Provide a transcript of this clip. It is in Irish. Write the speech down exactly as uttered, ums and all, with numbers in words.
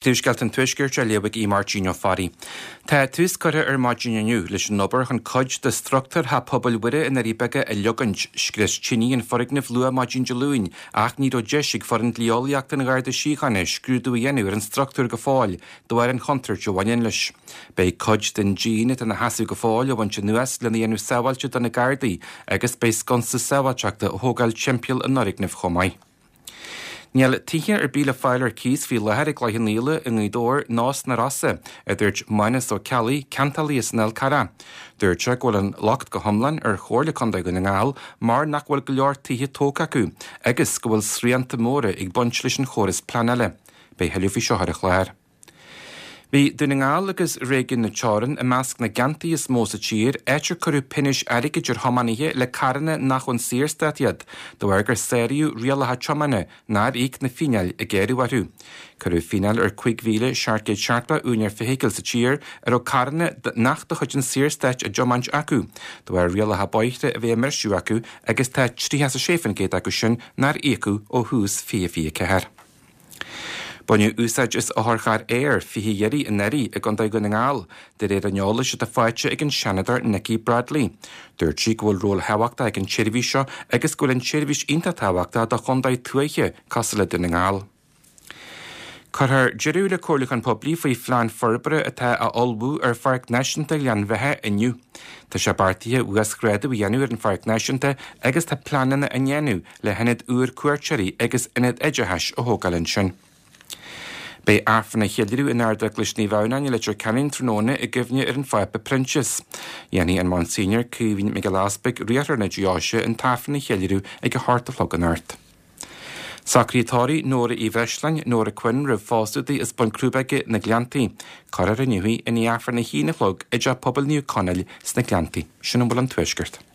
Príomhscéalta an Tuaiscirt á léamh ag Máirtín Ó Fearraigh. Tá tús curtha ar maidin inniu leis an obair chun cuid de struchtúr Theach Pobail Mhuire i nDoirí Beaga a leogaint. Scrios tine an foirgneamh luath maidin Dé Luain, ach ní raibh deis ag foireann dlí-eolaíochta an Gharda Síochána scrúdú a dhéanamh ar an struchtúr go fóill de bharr an chontúirt a bhaineann leis. Beidh cuid den díon atá ina sheasamh go fóill á bhaint anuas lena dhéanamh sábháilte do na Gardaí agus beidh sconsa sábháilteachta á thógáil timpeall an fhoirgnimh chomh maith. Níl tithe ar bith le fáil ar cíos faoi láthair i gCloich Cheann Fhaola i nGaoth Dobhair ná sna Rosa, a dúirt Mánas Ó Ceallaigh, ceantálaí as an Fhál Carrach. Dúirt sé go bhfuil an locht go hiomlán ar Chomhairle Contae Dhún na nGall mar nach bhfuil go leor tithe tógtha acu agus go bhfuil srianta móra ag baint leis an chóras pleanála. Beidh tuilleadh faoi seo ar an chlár. Bhí Dún na nGall agus Réigiún na Teorann i measc na gceantaí is mó sa tír, áit ar cuireadh pionóis airgid ar thiománaithe le carranna nach ón Saorstát iad, de bharr gur sáraíodh rialacha tiomána nár íoc na fíneáil a gearradh orthu. Cuireadh fíneáil ar cúig mhíle seacht gcéad seachtó úinéir feithicle sa tír a raibh carranna nach de chuid an Saorstáit á dtiomáint acu, de bharr rialacha bóithre a bheith á mbriseadh acu agus tá tríocha sé faoin gcéad acu sin nár íocadh ó thús fiche fiche ceathair. Baineadh úsáid as otharcharr aeir fiche iarraidh anuraidh i gContae Dhún na nGall, de réir an eolais atá faighte ag an Seanadóir Nikki Bradley. Dúirt sí go bhfuil ról thábhachtach ag an tseirbhís seo agus go bhfuil an tseirbhís iontach tábhachtach do chontae tuaithe cosúil le Dún na nGall. Cuirfear deireadh le comhairliúchán poiblí faoi phlean forbartha atá á ullmhú ar Pháirc Náisiúnta Ghleann Bheatha inniu. Tá sé beartaithe uasghrádú a dhéanamh ar an Pháirc Náisiúnta agus tá pleananna á ndéanamh le hionad úr cuairteoirí agus ionad oideachais a thógáil ansin. Beidh Aifreann á cheiliúradh in Ardeaglais Naomh Adhamhnáin i Leitir Ceanainn tráthnóna i gcuimhne ar an Phápa Proinsias. Dhéanfaidh an Monsignor Caoimhín Mac Giolla Easpaig riarthóir na deoise an t-aifreann a cheiliúradh ag a hocht a chlog anocht. Socruithe tórraimh Nóra Uí Bhreisleáin, Nóra Quinn roimh phósadh di as Bun Crúbaige na Gleanntaí. Cuirfear inniu í i ndiaidh Aifreann a haon a chlog i dTeach Pobail Naomh Conaill sna Gleanntaí. Sin a bhfuil ón Tuaisceart.